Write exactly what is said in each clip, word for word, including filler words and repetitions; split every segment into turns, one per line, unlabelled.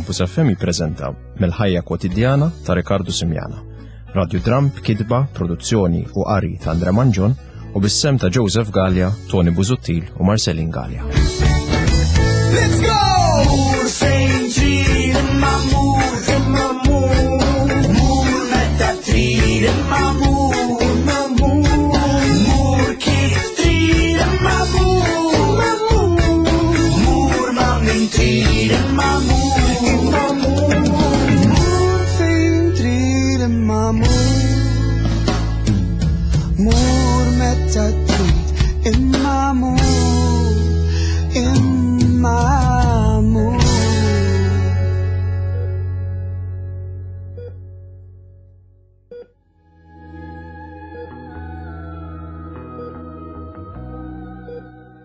Campus F M jippreżenta Mill-ħajja kwotidjana ta' Riccardo Simiana. Radiodram b'kitba, produzzjoni u qari ta' Andre Mangion u bis-sem ta' Joseph Galea, Tony Busuttil u Marcelin Galea.
Let's go! Mur fejn trid imma mur, imma mur. Mur meta trid imma mur, imma mur. Mur kif trid imma mur, imma mur. Mur ma' min trid imma mur, imma mur. Mur fejn trid imma mur. Mur meta trid imma mur, imma mur.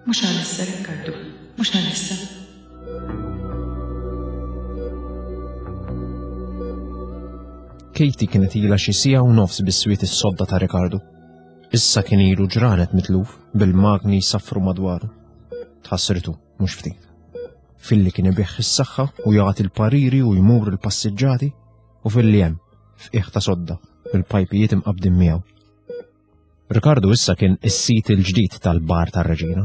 Mhux għalissa, Riccardo, mhux għalissa.
Katie kienet ilha xi siegħa u nofs bis-swiet is-sodda ta' Riccardo. Issa kien ilu ġranet mitluf bil-magni jsaffru madwaru. Tħassritu, mhux ftit. Filli kien ibigħ is-saħħa u jagħti l-pariri u jmur il-passiġġati u filli hemm f'qiegħ ta' sodda bil-pajpijiet imqabdin miegħu. Riccardo issa kien is-sit il-ġdid tal-bar tar-Reġina.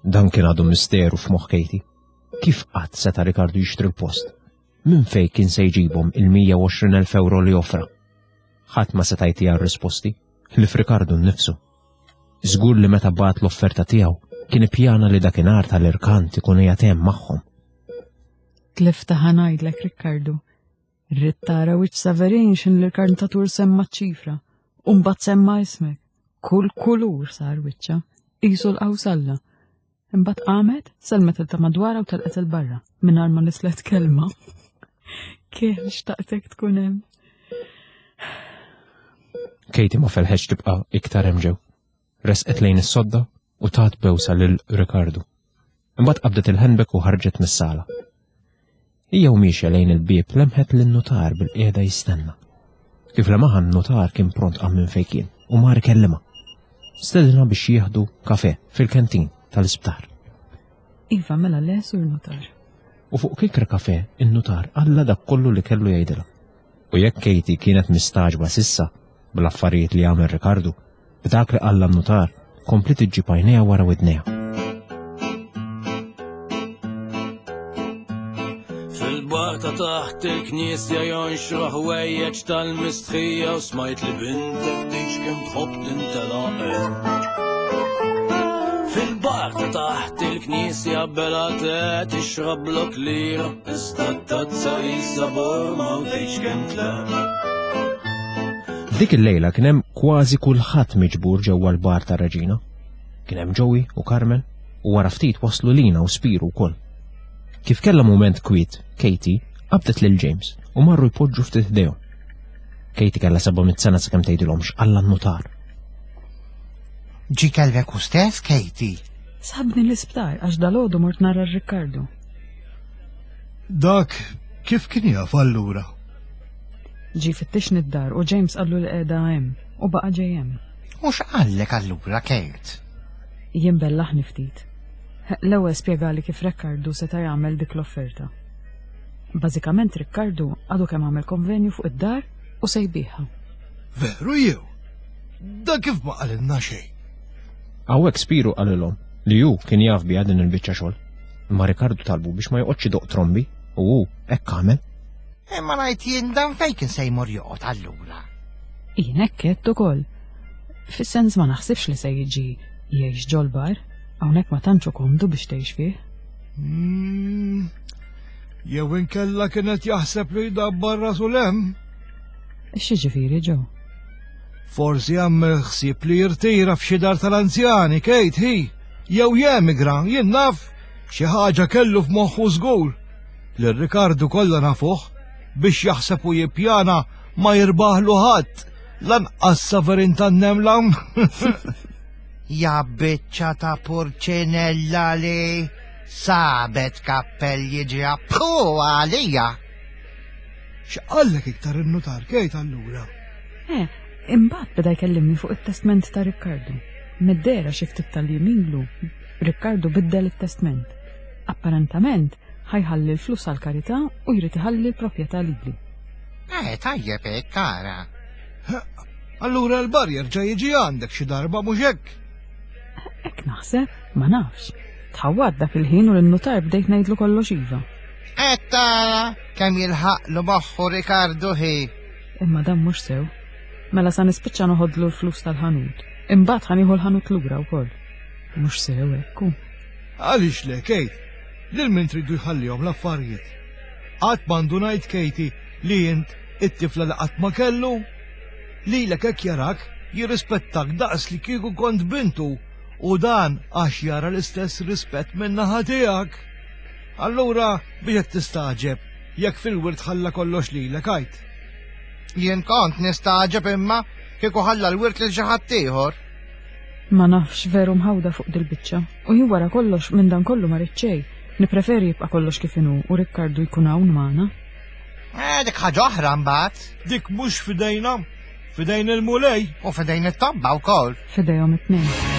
Dan kien għadu misteru f'moħħ Katie. Kif qatt seta' Riccardo jixtri l-post? Minn fejn kien se jġibhom il-mija u għoxrin elf euro li offra? Ħadd ma seta' jtiha r-risposti, li f'Riccardo nnifsu. Żgur li meta bagħat l-offerta tiegħu kien ippjana li dakinhar tal-irkant ikun qiegħed hemm magħhom.
Tlifta ħa ngħidlek, Riccardo. Rrid tara wiċċ Saverin x'in l-irkantatur semma ċ-ċifra u mbagħad semma ismek. Kull kulur sar wiċċa, qisu l-qawsalla. Imbagħad qamet, selmet il ta' madwarha u telqet il barra mingħajr ma nislet kelma. Kien xtaqtek tkun hemm.
Katie ma felħetx tibqa' iktar hemm ġew. Resqet lejn is-sodda u tat bewsa lil Riccardo. Imbagħad qabdet il-handbag u ħarġet mis-sala. Hija u miexja lejn il-bieb lemħet lin-nutar bil-qiegħda jistenna. Kif lemaħa n-nutar kien pront qam minn fejn kien u mar ikellimha. Stedinha biex jieħdu kafe fil-kantin tal-isptar.
Iva, mela le, sur nutar.
U fuq kikra kafe, in-nutar qalla dak kollu li kellu jgħidilha. U jekk Katie kienet mistaġba sissa bl-affarijiet li għamel Riccardo, b'dak li qalla n-nutar, komplet iġġib għajnejha wara widnejha.
Fil-bar ta' taħt il-knisja jonxru ħwejjeġ tal-mistħija u smajt li bintek tgħix kemm tħobb tintelaq. Fil-bar ta' taħt il-knisja bela te tixrob blok lira, iżda t-tazza qisha borma u tgħix kemm tleq.
Dik il-lejla kien hemm kważi kulħadd miġbur ġewwa l-bar tar-Reġina. Kien hemm Joey u Carmen u wara ftit waslu Lina u Spiru wkoll. Kif kellha mument kwiet, Katie qabdet lil James u marru jpoġġu ftit ħdejhom. Katie kellha seba' mitt sena sakemm tgħidilhom x'qalla n-nutar.
Ġi kellek u stess, Katie?
Sabni l-isptar għax dalgħodu mort nara Riccardo.
Dak kif kien jaf allura?
Ġi fittixni d-dar u James qallu li qiegħda hemm u baqa' ġej hemm.
U x'qallek allura, Kate?
Jien bellaħni ftit. L-ewwel spjegali kif Riccardo seta' jagħmel dik l-offerta. Bażikament Riccardo għadu kemm għamel konvenju fuq id-dar u se jbieħha.
Veru jew? Da kif ma qalilna xejn?
Hawnhekk Spiru qalilhom li hu kien jaf biha din il-biċċa xogħol. Imma Riccardo talbu biex ma joqgħodx idoq trombi u hu hekk għamel.
Imma ngħid jien dan fejn kien se jmur joqgħod allura.
Jien hekk għedt ukoll. Fis-sens ma naħsibx li se jiġi jgħix ġol-bar, hawnhekk ma tantx hu komdu biex tgħix fih.
Hmm. Jew inkella kienet jaħseb li jdabbar rasu l-hemm.
X'jiġifieri, Joe?
Forsi għamel ħsieb li jirtira f'xi dar tal-anzjani, Kate, hi. Jew jemigra, jien naf xi ħaġa kellu f'moħħu żgur. Lil Riccardo kollha nafuh biex jaħseb u jippjana ma jirbaħlu ħadd, lanqas Saverin tan-nemla.
Ja biċċa ta' purċinella li sabet kappell jiġi appu għalija.
X'qallek iktar in-nutar, Kate, allura?
Eh, imbagħad beda jkellimni fuq it-testment ta' Riccardo. Mid-dehra xi ftit tal-jiem ilu, Riccardo biddel it-testment. Apparentament, Ħa jħalli l-flus għall-karità u jrid iħalli l-proprjetà lili.
Eh, tajjeb hekk, ara.
Allura l-bar jerġa' jiġi għandek xi darba mhux hekk?
Hekk naħseb, ma nafx. Tħawwadt dak il-ħin u lin-nutar bdejt ngħidlu kollox iva.
Qed tara kemm jilħaqlu moħħu Rikardu ħi.
Imma dan mhux sew. Mela sa nispiċċa noħodlu l-flus tal-ħanut. Imbagħad ħa nieħu l-ħanut lura wkoll. Mhux sew hekk hu.
Għaliex le, Kate? Lil min tridu jħallihom l-affarijiet? Qatt m'għandu ngħid Katie li int it-tifla li qatt ma kellu? Lilek hekk jarak jirrispettak daqs li kieku kont bintu u dan għax jara l-istess rispett min-naħa tiegħek. Allura biex qed tistagħġeb jekk fil-wirt ħalla kollox lilek għid.
Jien kont nistagħġeb imma kieku ħalla l-wirt lil xi ħadd ieħor.
Ma nafx veru mħawda fuq dil-biċċa. U jien wara kollox minn dan kollu ma rrid xejn. Nippreferi jibqa' kollox kif inhu u Rikkardu jkun hawn magħna.
Eh, dik ħaġa oħra mbagħad.
Dik mhux f'idejna, f'idejn il-Mulej.
U f'idejn it-tobba wkoll.
F'idejhom it-tnejn.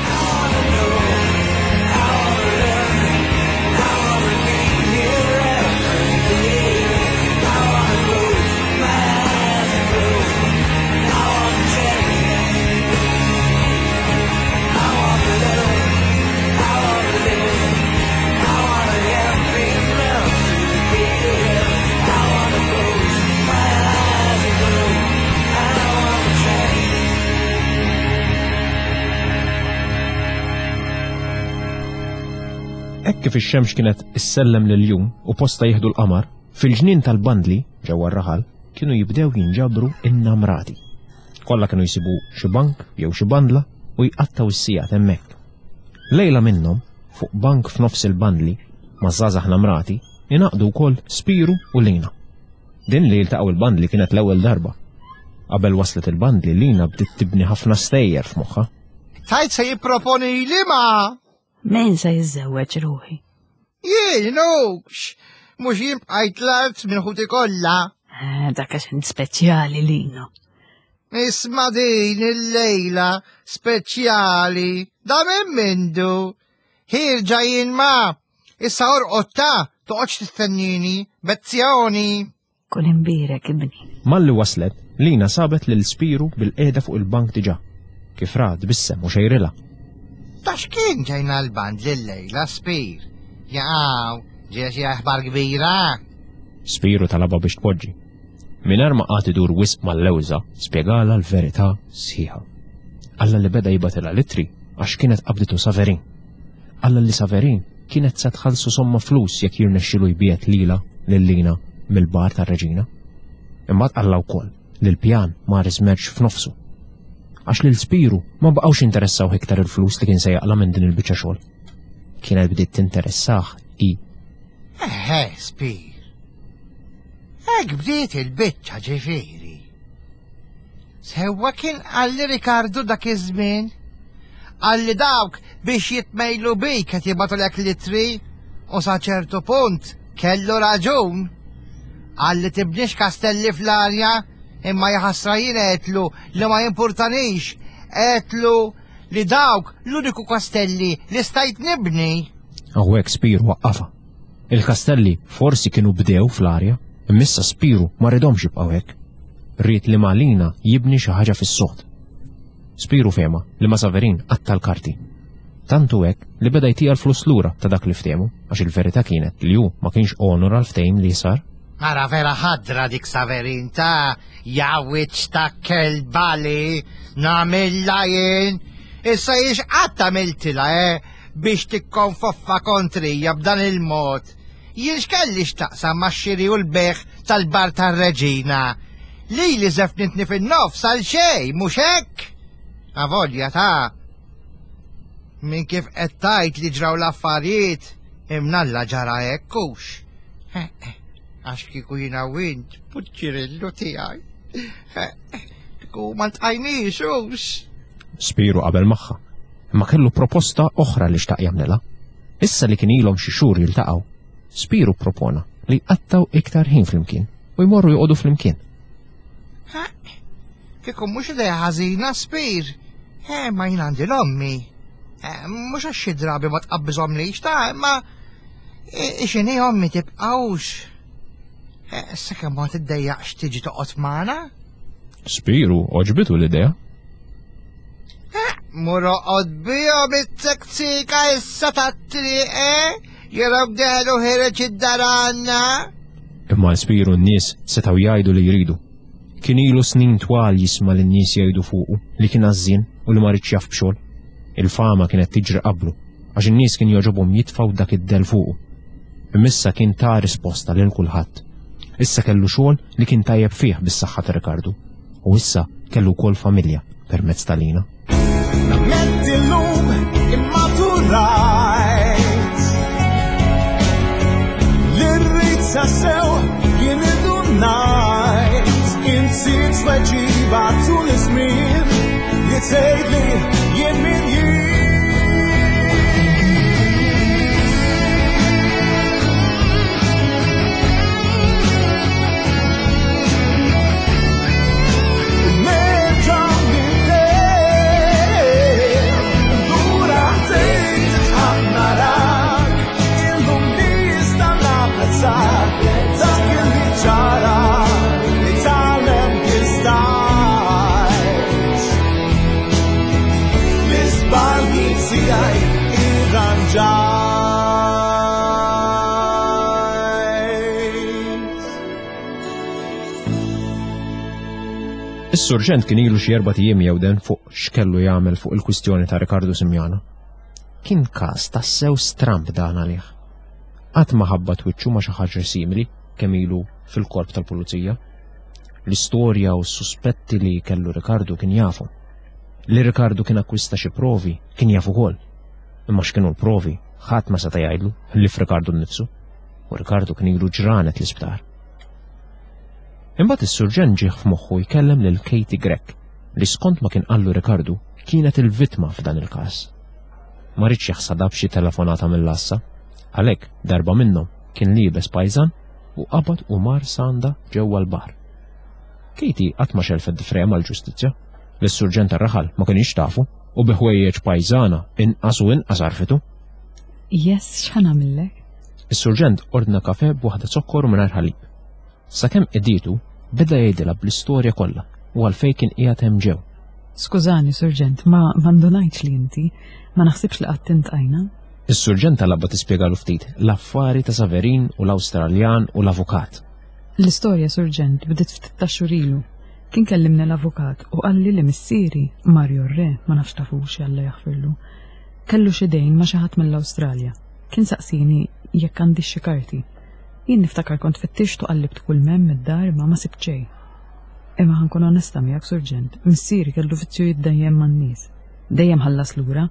Hekk kif ix-xemx kienet issellem lil-jum u posta jieħdu l-qamar, fil-ġnien tal-bandli ġewwa r-raħal kienu jibdew jinġabru in-namrati. Kollha kienu jsibu xi bank jew xi bandla u jqattgħu s-sigħat hemmhekk. Lejla minnhom, fuq bank f'nofs il-bandli, ma' żgħażagħ namrati, ingħaqdu wkoll Spiru u Lina. Din li jiltaqgħu il-bandli kienet l-ewwel darba. Qabel waslet il-bandli, Lina bdiet tibni ħafna stejjer f'moħħha.
Tajt se jipproponi li ma.
Min se jiżżewweġ ruħi?
Jien hux, mhux jien bqajt l-art minn ħuti kollha.
Eh, dak għax int speċjali Lino.
Isma' din il-lejla speċjali, da minn mindu. Ħirġa jien ma, issa orqod ta' toqgħodx tistennini, bezzjoni.
Kun imbierek ibni.
Malli waslet, Lina sabet lil Spiru bil-qiegħda fuq il-bank diġà. Kif ra tbissem u xejrilha.
Ta' x'kien ġejna l-band lil-lejla Spir? Jaqaw, ġejja xi aħbar kbira.
Spiru talabha biex tpoġġi. Mingħajr ma qagħad idur wisq mal-lewża, spjegalha l-verità sħiħa. Alla li beda jibgħatilha litri għax kienet qabditu Saverin. Alla li Saverin kienet se tħallsu somma flus jekk jirnexxilu jbiegħed lilha lil Lina mill-bar tar-reġina. Imbagħad qalla wkoll li l-pjan mar iżmerġ f'nofsu. Għax lil Spiru ma baqgħux interessaw iktar il-flus li kien se jaqla' minn din il-biċċa xogħol. Kienet bdiet tinteressah i.
Eħe, Spir. Hekk bdiet il-biċċa ġifieri. Sewwa kien qalli Rikardu dak iż-żmien. Qalli dawk biex jitmejlu bik qed jibgħatulek litri u sa ċertu punt kellu raġun. Qalli tibnix kastelli fl-arja imma jaħasra jien għedtlu li ma jimpurtanix, għedtlu li dawk l-uniku kastelli li stajt nibni.
Hawnhekk Spiru waqqafha. Il-kastelli forsi kienu bdew fl-arja, imma issa Spiru ma ridhomx jibqgħu hekk. Ried li ma' Lina jibni xi ħaġa fis-sod. Spiru fehma li ma' Saverin qatta' l-karti. Tantu hekk li beda jtija l-flus lura ta' dak li ftehmu, għax il-verità kienet li hu ma kienx onora l-ftehim li sar.
Ara vera ħadra dik Saverin ta' jawiċ ta' kelbali, namilla jien. Issa jiex qatt għamiltilha, eh, biex tikkonfoffa kontrija b'dan il-mod. Jien x'kelli x'taqsam max-xiri u l-beħ tal-bar tar-reġina. Lili żefnitni fin-nofs għal xejn, mhux hekk? Avolja ta' minn kif qed tgħid li ġraw l-affarijiet, imnalla ġara hekk hux. Eh, eh, għax kieku jiena u int, puċċirillu tiegħi. Eh, eh, kieku ma ntqajniex hux.
Spiru qabel magħha, imma kellu proposta oħra li xtaq jagħmlilha. Issa li kien ilhom xi xhur jiltaqgħu, Spiru propona li jqattgħu iktar ħin flimkien u jmorru joqogħdu flimkien.
Ha, kieku mhux idea ħażina, Spir. Eh, ma jien għandi l-ommi. Eh, mhux għax xi drabi ma tqabbiżhomlix ta' imma X'inhi ommi tibqgħux? Sakemm ma tiddejjaqx tiġi toqgħod magħna?
Spiru, għoġbitu l-idea.
Mur oqgħod bihom it-tektika issa tat-triq, eh? Jerawk deħlu ħireġ id-dar għandna.
Imma l-Spiru n-nies setgħu jgħidu li jridu. Kien ilu snin twal jisma' lin-nies jgħidu fuqu li kien għażżien u li ma ridx jaf b'xogħol. Il-fama kienet tiġri qablu għax in-nies kien jogħġobhom jitfgħu dak id-dell fuqu. Imma issa kien ta risposta lil kulħadd. Issa kellu xogħol li kien tajjeb fih bis-saħħa ta' Rikardu. U issa kellu wkoll familja permezz ta' Lina.
Nammetti llum immaturajt Li rrid sew jien idunajt Insib tweġiba tul iż-żmien Li tgħidli jien min jien. Nerġa' nibdew, lura ħdejk titħaq narak, illum nista' napprezzak dak li ġara, li tgħallem kif stajt. L-iżbalji tiegħi irranġajt.
Is-surġent kien ilu xi erbat ijiem jewden fuq x'kellu jagħmel fuq il-kwistjoni ta' Rikardu Simiana. Kien każ tassew stramb dan għalih. Qatt ma ħabbat wiċċu ma' xi ħaġa simili kemm ilu fil-korp tal-pulizija. L-istorja u s-suspetti li kellu Rikardu kien jafu. Li Rikardu kien akkwista xi provi kien jaf ukoll. Imma x'kienu l-provi ħadd ma seta' jgħidlu li f'Rikardu nnifsu. U Rikardu kien ilu ġranet l-isptar. Imbagħad is-surġent ġieħ f'moħħu jkellem lil Katie Grech li skont ma kien qallu Rikardu kienet il-vittma f'dan il-każ. Ma ridx jaħsadha b'xi telefonata mill-għassa, għalhekk darba minnhom kien liebes pajżan u qabad u mar sanda ġewwa l-bar. Katie qatt ma xelfet difreja mal-ġustizzja, lis-surġent tar-raħal ma kienx tafu u bi ħwejjeġ pajżana inqas u inqas għarfitu.
Yes, x'ħa nagħmillek?
Is-surġent ordna kafe b'waħda zokkor u mingħajr ħalib. Sakemm qedietu, beda jgħidilha bl-istorja kollha u għalfejn kien qiegħed hemm ġew.
Skużani, surġent, ma ndunajtx li inti, ma naħsibx li qatt intqajna.
Is-surġent talabha tispjegalu ftit l-affari ta' Saverin u l-Awstraljan u l-avukat.
L-istorja, surġent, bdiet ftit ta' xhur ilu. Kien kellimni l-avukat u qalli li missieri, Mario Re, ma nafx tafux Alla jaħfirlu, kellu xi dejn ma' xi ħadd mill-Awstralja. Kien saqsini jekk għandi xi karti. Jien niftakar kont fittixt u qallibt kull m'hemm id-dar ma ma sibt xejn. Imma ħa nkun onesta miegħek, surġent, missieri kellu vizzju jiddejjem man-nies. Dejjem ħallas lura,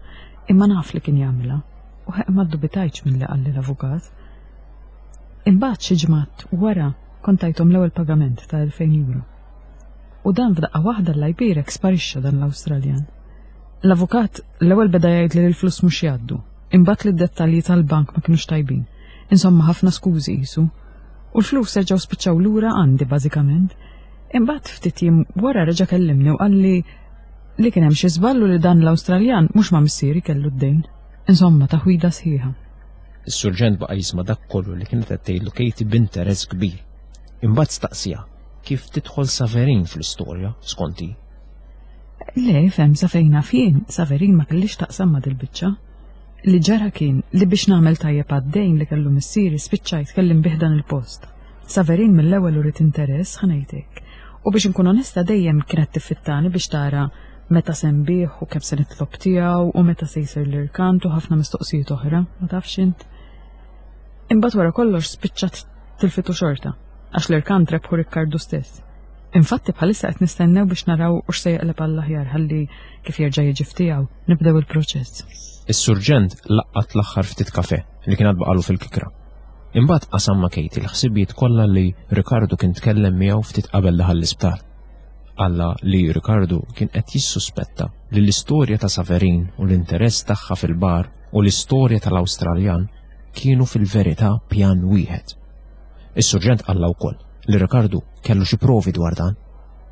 imma naf li kien jagħmilha. U ħeq ma ddubitajtx milli qalli l-avukat. Imbagħad xi ġimgħat wara kont tajthom l-ewwel pagament ta' elfejn euro. U dan f'daqqa waħda Alla jbierek sparixxa dan l-Awstraljan. L-avukat l-ewwel beda jgħid li l-flus mhux jgħaddu, imbagħad li d-dettalji tal-bank ma kinux tajbin. Insomma ħafna skużi qisu. U l-flus reġgħu spiċċaw lura għandi bażikament. Imbagħad ftit jiem wara reġa' kellimni u qalli li kien hemm xi żballu li dan l-Awstraljan mhux ma' missieri kellu d-dejn. Insomma taħwida sħiħa.
Is-surġent baqa' jisma' dak kollu li kienet qed tgħidlu Katie b'interess kbir. Imbagħad staqsija kif tidħol Saverin fl-istorja skont hi.
Le, fem, sa fejn naf jien, Saverin ma kellix taqsam ma' dil-biċċa. Li ġara kien li biex nagħmel tajjeb għad-dejn li kellu missieri spiċċajt kellim bih dan il-post. Saverin mill-ewwel uriet interess ħa ngħidlek. U biex nkun onesta dejjem kienet tiffittani biex tara meta se nbigħ u kemm se nitlob tiegħu u meta se jsir l-irkant u ħafna mistoqsijiet oħra, ma tafx int. Imbagħad wara kollox spiċċat tilfitu xorta, għax l-irkant rebħu Rikkardu stess. Infatti bħalissa qed nistennew biex naraw u x'se jaqleb għall-aħjar ħalli kif jerġa' jiġi ftiegħu nibdew il-proċess.
Is-surġent laqqat l-aħħar ftit kafe li kien għad baqalu fil-kikra. Imbagħad qasam ma' Katie l-ħsibijiet kollha li Rikardu kien tkellem miegħu ftit qabel daħal l-isptar. Qalla li Rikardu kien qed jissuspetta li l-istorja ta' Saverin u l-interess tagħha fil-bar u l-istorja tal-Awstraljan kienu fil-verità pjan wieħed. Is-surġent qalla wkoll li Rikardu kellu xi provi dwar dan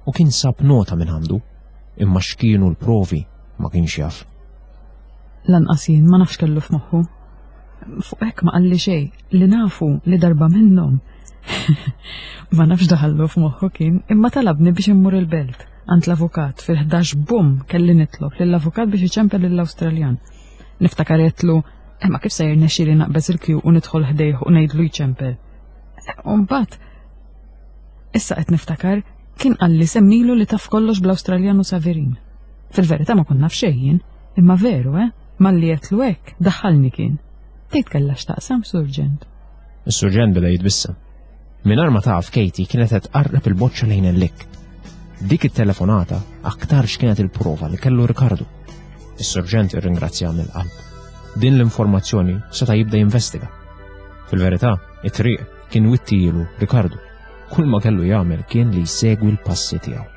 u kien sab nota minn għandu, imma x'kienu l-provi ma kienx jaf.
Lanqas jien ma nafx kellu f'moħħu. Fuq hekk ma qalli xejn li nafu li darba minnhom. Ma nafx daħallu f'moħħu kien, imma talabni biex immur il-belt għand l-avukat fil-ħdax bum kelli nitlob lill-avukat biex iċempel lill-Awstraljan. Niftakar għedtlu, imma kif se jirnexxieli naqbeż il-kju u nidħol ħdejh u ngħidlu jċempel. U mbagħad issa qed niftakar kien qalli semmilu li taf kollox bl-Awstraljan u Saverin. Fil-verità ma kont naf xejn jien, imma veru, eh? Malli għedtlu hekk, daħħalni kien. Tgħid kellha x'taqsam, Surġent.
Is-surġent beda jitbissem. Mingħajr ma taf Katie kienet qed tqarreb il-boċċa lejn il-lik. Dik it-telefonata aktarx kienet il-prova li kellu Ricardo. Is-surġent irringrazzja mill-qalb. Din l-informazzjoni seta' jibda jinvestiga. Fil-verità, it-triq kien wittilu Ricardo. Kull ma kellu jagħmel kien li jsegwi l-passi tiegħu.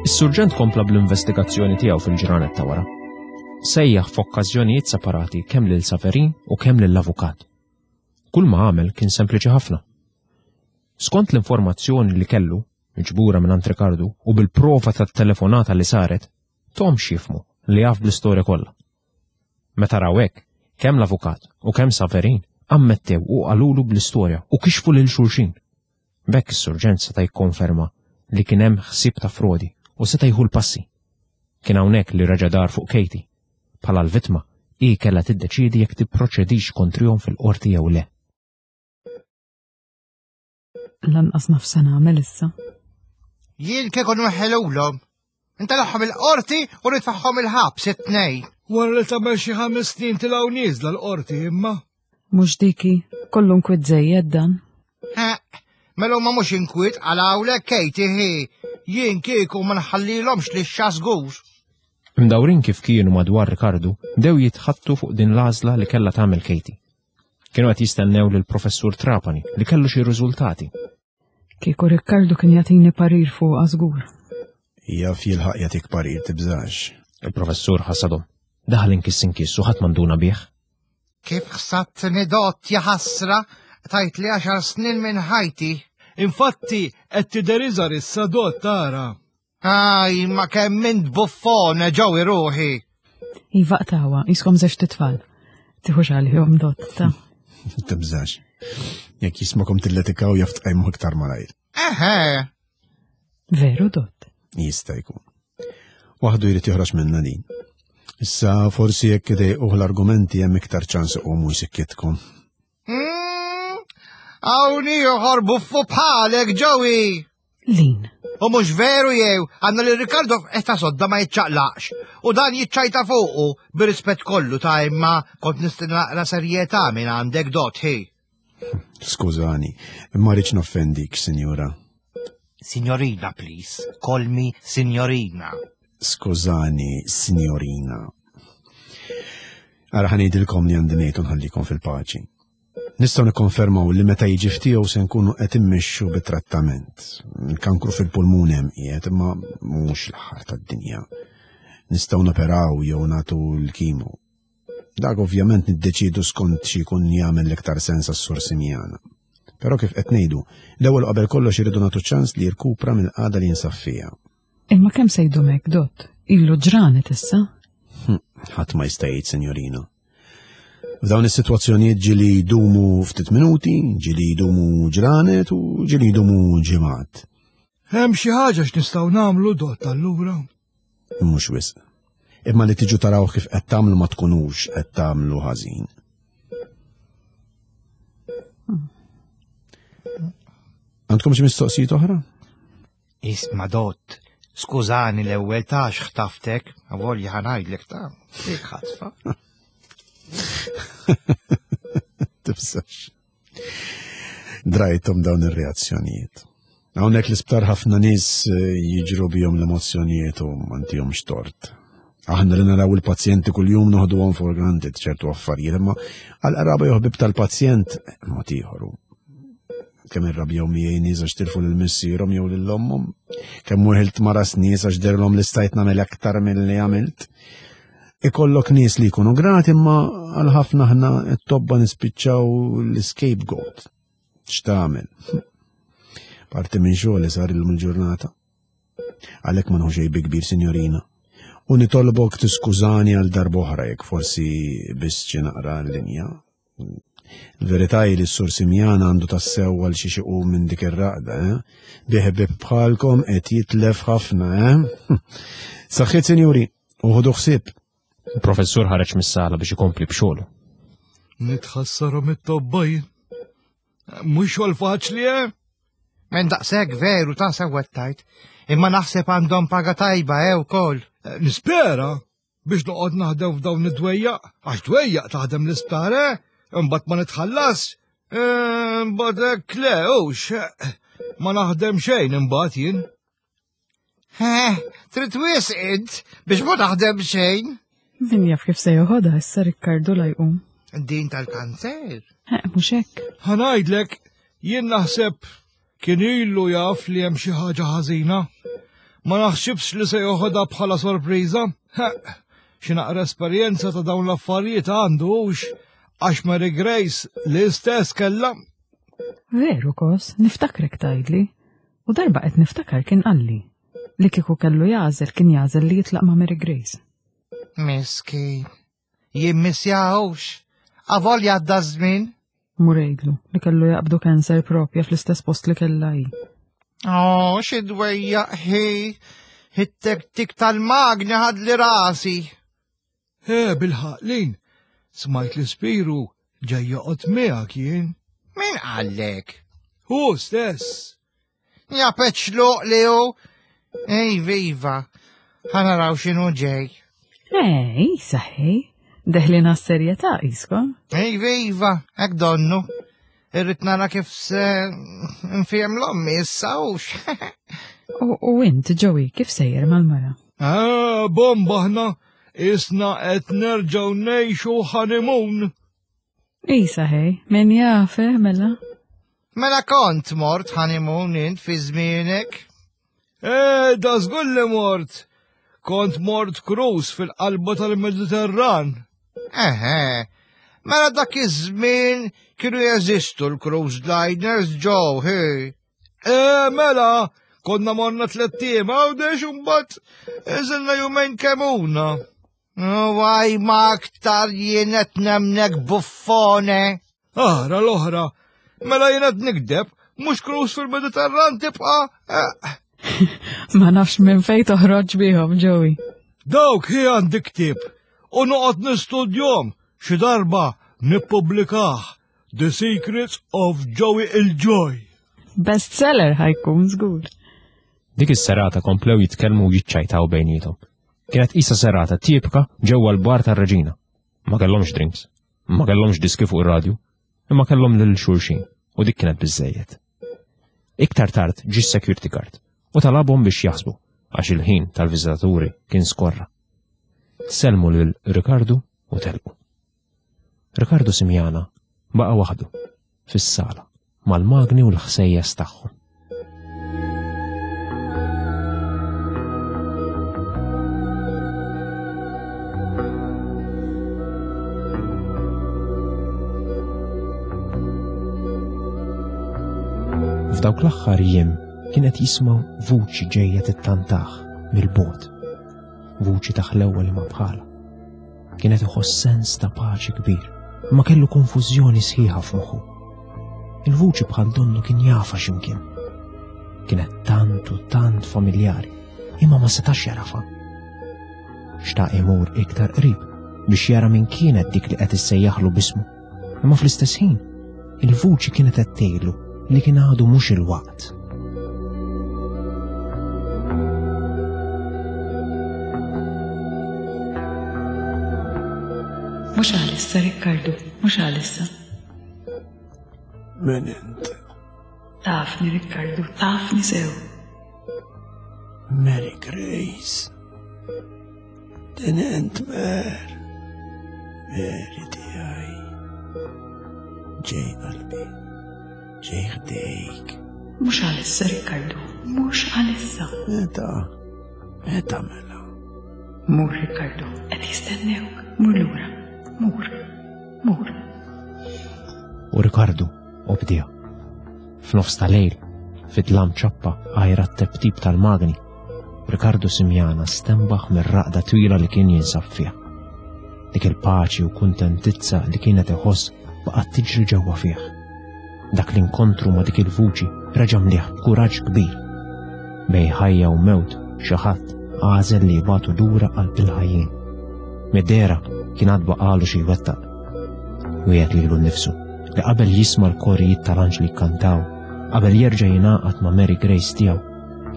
Is-surġent kompla bl-investigazzjoni tiegħu fil-ġranet ta' wara. Sejjaħ f'okkażjonijiet separati kemm lil Saverin u kemm lill-avukat. Kull ma għamel kien sempliċi ħafna. Skont l-informazzjoni li kellu, miġbura minn Ricardo u bil-prova tat-telefonata li saret, Tom xifmu li jaf bl-istorja kollha. Meta raw hekk, kemm l-avukat u kemm Saverin ammettew u qalulu bl-istorja u kixfu lil xulxin. B'hekk is-surġent seta' jikkonferma li kien hemm ħsieb ta' frodi u seta' jieħu l-passi. Kien hawnhekk li reġa' dar fuq Katie. Bħala l-vittma, hi kellha tiddeċiedi jekk tipproċedix kontrihom fil-qorti jew le.
Lanqas naf se nagħmel issa.
Jien kieku nweħħelulhom. Intelagħhom il-qorti u nitfaħħom il-ħabs it-tnejn.
Wara li tagħmel xi ħames snin tilgħu nieżla l-qorti imma.
Mhux diki, kollu nkwiet żejjed dan.
Ha, mela huma mhux inkwiet għal hawnhekk Katie hi. Jien kieku ma nħallilhomx li x-xasgur.
Imdawrin kif kienu madwar Ricardo, bdew jitħattu fuq din l-għażla li kellha tagħmel Katie. Kienu qed jistennew lil professur Trapani li kellu xi riżultati.
Kieku Riccardo kien jagħtini parir fuq żgur.
Jaf jilħaq jagħtik parir tibżax.
Il-professur ħassadhom. Daħal inkiss inkiss u ħadd manduna bih.
Kif ħsattni dott ja ħasra tajt li għaxar snin minn ħajti.
Infatti qed tidher iżgħar issa dott tara.
Aj, ma kemm int buffone ġew ruħi.
Iva qtawa, jiskom żewġ titfal. Tiħux għalihom dott ta'
Tibżax. Jekk jismakom tilletikaw jaf tqajmu iktar malajr.
Eħe,
Veru dott.
Jista' jkun. Waħdu jrid joħroġ minna din. Issa forsi jekk idejquh l-argumenti hemm iktar ċans iqumu jsikkitkom.
Mm, hawn ieħor buffu bħalek ġewi.
Lin,
U mhux veru jew għandna li Ricardo qed ta' sodda ma jiċċaqlaqx. U dan jiċċajta fuqu bir-rispett kollu ta' imma kont nistenna naqra serjetà minn għandek dot hi.
Skużani, ma rridx noffendik, sinjura.
Signorina, please. Call me signorina.
Skużani, signorina. Ara ħanejdilkom li għandi ngħid u nħallikom fil-paċi. Nistgħu nikkonfermaw li meta jiġi ftiegħu se nkunu qed immexxu bit-trattament. Il-kankru fil-pulmun hemm qiegħed imma mhux l-aħħar tad-dinja. Nistgħu noperaw jew nagħtu l-kimo. Dak ovvjament niddeċidu skont xi jkun jagħmel l-iktar sens għas-sur Simjana. Però kif qed ngħidu, l-ewwel qabel kollox iridu nagħtu ċans li jirkupra mill-qagħda li jinsab fiha.
imma kemm se jdum hekk dott? Ilu ġranet issa.
Ħadd ma jista' jgħid, senjorina. F'dawn is-sitwazzjonijiet ġieli jdumu ftit minuti, ġieli jdumu ġranet u ġieli jdumu ġimgħat.
Hemm xi ħaġa x'nistgħu nagħmlu dott allura.
Mhux wisq. Imma li tiġu taraw kif qed tagħmlu ma tkunux qed tagħmlu ħażin. Għandkom xi mistoqsijiet oħra?
Isma dott, Skużani l-ewwel ta' x'ħtaftek, avolja ħa ngħidlek ta' dik ħatfa.
Tibsax. Drajthom dawn ir-reazzjonijiet. Hawnhekk l-isptar ħafna nies eh, jiġru bihom l-emozzjonijiet u m'għandihomx tort. Aħna li naraw il-pazjenti kuljum noħduhom for granted ċertu affarijiet, imma għal-qraba jew ħbieb tal-pazjent mod ieħor. Kemm irrabjaw miegħi nies għax tilfu lil missierhom jew lil ommhom, kemm weħilt ma' ras nies għax dehrilhom li stajt nagħmel aktar milli għamilt. Ikollok nies li jkunu grati imma għal ħafna aħna t-tobba nispiċċaw l-scapegoat. X'tagħmel? Parti minn xogħol sar illum il-ġurnata. Għalhekk ma nieħu xejn bi kbir, sinjorina. U nitolbok tiskużani għal darb'oħra jekk forsi biss xi naqra l-linja. Il-verità hi li s-sur Simjana għandu tassew għal xi iqum minn dik ir-raqda, eh? Bi ħbieb bħalkom qed jitlef ħafna, eh? Saħħiet, sinjuri, u ħudu ħsieb.
Il-professur ħareġ mis-sala biex ikompli b'xogħlu.
Nitħassarhom it-tobba jien. Mhux xogħol faċli, eh?
Men daqshekk veru ta' sewwa tajt, imma naħseb għandhom paga tajba eh wkoll.
Eh, Nispera biex noqgħod naħdem f'dawn id-dwejjaq, għax dwejjaq taħdem l-isptar, eh? Imbagħad ma nitħallas. Eh, Imbagħad hekk le, hux. eh, Ma naħdem xejn imbagħad jien.
Eh, trid wisq int biex ma taħdem xejn.
Min jaf kif se joħodha issa Rikkardu la jqum.
Din tal-kanser.
Eh, mhux hekk.
Ħa ngħidlek, jien naħseb kien ilu jaf li hemm xi ħaġa ħażina. Ma naħsibx li se joħodha bħala sorpriża. Ha, Xi naqra esperjenza ta' dawn l-affarijiet għandu hux għax Mary Grace l-istess kellha.
Veru kos, niftakrek tgħidli. U darba qed niftakar kien qalli. Li kieku kellu jagħżel kien jagħżel li jitlaq ma' Mary Grace.
Miskin. Jimmissjahux. Avolja għadda żmien.
Mur għidlu li kellu jaqbdu cancer propja fl-istess post li kellha hi.
Oh, xi dwejjaq ħi. It-tektik tal-magni ħadli rasi.
He, bilħaqq Lin, smajt li Spiru ġej joqgħod miegħek jien.
Min qallek?
Hu stess.
Ja peċluq li hu. Ej, viva. Ħa naraw x'inhu ġej.
Ej, saħej, deħlin għas-serjetà iskom.
Ej, viva, hekk donnu. Irrid nara kif se nfiem l-ommi issa hux.
U, u int, Joey, kif sejjer mal-mara?
Ah, bomba ħna, isna qed nerġgħu ngħixu honeymoon.
Isa ħej, min jaf, eh, mela?
Mela kont mort honeymoon int fi żmienek.
Eh, da żgur li mort. Kont mort cruise fil-qalba tal-Mediterran.
Eħe, mela dak iż-żmien kienu jeżistu l-cruise liners ġew, hi.
Eh, mela, konna morna tlett ijiem Għawdex u mbagħad inżilna jumejn Kemmuna.
Għaj ma aktar jien qed nemmnek buffone.
Ara l-oħra, mela jien qed nikdeb, mhux cruise fil-Mediterran tibqa'. Eh,
Ma nafx minn fej toħroġ bihom, Joey.
Dawk hi għandi ktieb u noqgħod nistudjahom xi darba nippubblikah The Secrets of Joey il-Joy.
Bestseller ħa jkun żgur.
Dik is-serata komplew jitkellmu u jiċċajtaw bejniethom. Kienet isa serata tipika ġewwa l-bar tar-Reġina. Ma kellhomx drinks, ma kellhomx diski fuq ir-radju, imma kellhom lil xulxin u dik kienet biżejjed. Iktar tard ġi security guard u talabhom biex jaħsbu għax il-ħin tal-viżitaturi kien skorra. Sellmu lil Ricardo u telqu. Ricardo Simjana baqa' waħdu fis-sala mal-magni u l-ħsejjes tagħhom. F'dawk l-aħħar jiem kien qed jisma' vuċi ġejja tittantah mill-bogħod. Vuċi ta' ħlewwa li ma bħala. Kien qed iħoss sens ta' paċi kbir, imma kellu konfużjoni sħiħa f'moħħu. Il-vuċi bħal donnu kien jafha x'imkien. Kienet tant u tant familjari, imma ma setax jagħrafha. Xtaq imur iktar qrib biex jara min kienet dik li qed issejjaħlu b'ismu. Imma fl-istess ħin, il-vuċi kienet qed tgħidlu li kien għadu mhux il-waqt.
Mhux għalissa, Rikkardu, mhux għalissa.
Min int?
Tafni, Rikkardu, tafni sew.
Mary Grace. Din int Mer. Mary tiegħi. Ġej qalbi. Ġej ħdejk.
Mhux għalissa, Rikkardu, mhux għalissa.
Meta? Meta mela?
Mur, Rikkardu, qed jistennewk. Mur lura. Mur. Mur.
U Rikardu obdija. F'nofs ta' lejl, fid-dlam ċappa għajra t-teptip tal-magni, Rikardu Simiana stenbaħ mir-raqda twila li kien jinsab fiha. Dik il-paċi u kuntentizza li kienet iħoss baqgħet tiġri ġewwa fih. Dak l-inkontru ma' dik il-vuċi reġa' mlieh b'kuraġġ kbir. Bejn ħajja u mewt xi ħadd għażel li jibagħtu lura qalb il-ħajjin. Mid-dehra kien għad baqalu xi jwettaq. Wiegħed lilu nnifsu li qabel jisma' l-korijiet tal-anġli jkantaw, qabel jerġa' jingħaqad ma' Mary Grace tiegħu,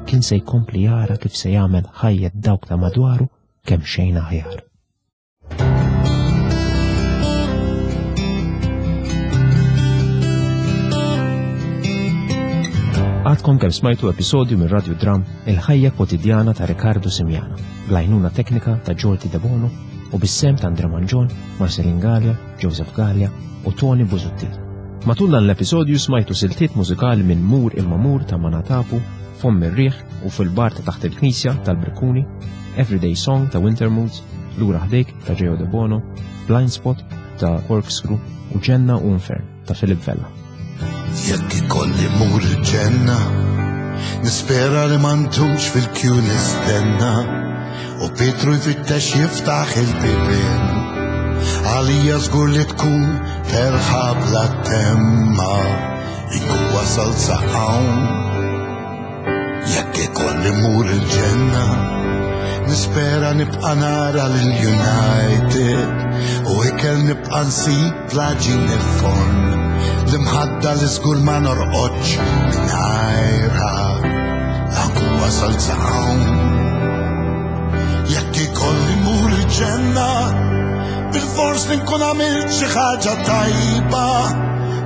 kien se jkompli jara kif se jagħmel ħajjet dawk ta' madwaru kemm xejn aħjar. Għadkom kemm smajtu episodju minn Radio Dram Il-ħajja kwotidjana ta' Riccardo Simiana, bl-għajnuna teknika ta' Jordi Debono u bis-sem ta' Andre Mangion, Marcelin Galea, Joseph Galea u Tony Busuttil. Matul dan l-episodju smajtu siltiet mużikali minn Mur imma Mur ta' Manatapu, Fomm ir-Riħ u Fil-Bar ta' Taħt il-Knisja tal-Brikkuni, Everyday Song ta' Winter Moods, Lura Ħdejk ta' Geo De Bono, Blind Spot ta' Corkscrew u Ġenna u Infern ta' Philip Vella.
Jekk ikolli mur il-ġenna, nispera li ma ntumx fil-kju nistenna, u Pietru jfittex jiftaħ il-bibien. Għalija żgur li tkun terħa bla temma, inkun wasal sa hawn. Jekk ikolli mur il-ġenna, nispera nibqa' nara lil United, u ikel nibqa' nsib l-għaġin il-forn. L-imħadda li żgur ma norqodx mingħajrha, la nkun wasal sa hawn. Jekk ikolli mur il-ġenna, bil-fors li nkun għamilt xi ħaġa tajba,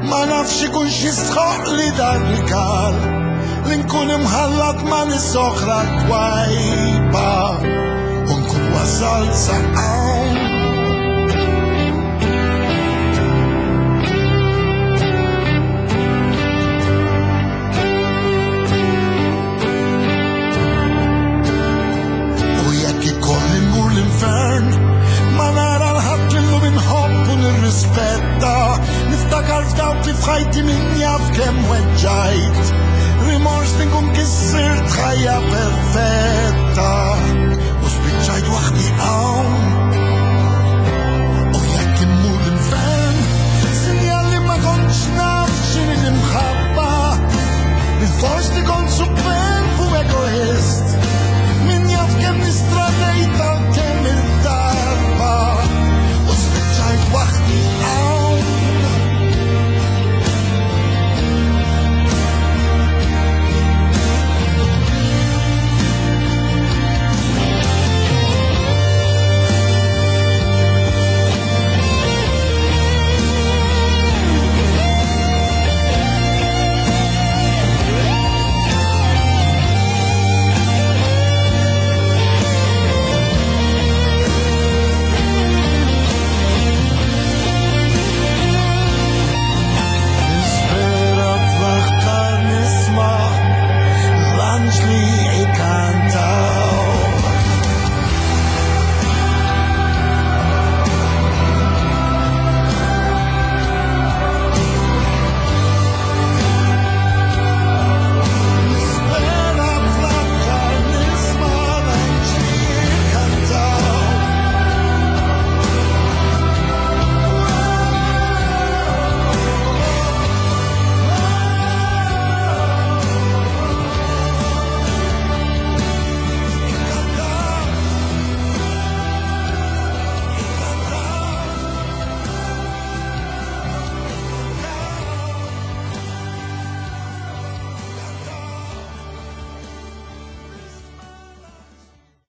ma nafx ikun xi sħoq li dar rigal, li nkun imħallat ma' nies oħra twajba, u nkun wasal sa hawn. U jekk ikolli mmur l-infern, ma nara l-ħadd li llum inħobb u nirrispetta, niftakar f'dawk li f'ħajti min jaf kemm weġġajt, rimors li nkun kissirt ħajja perfetta.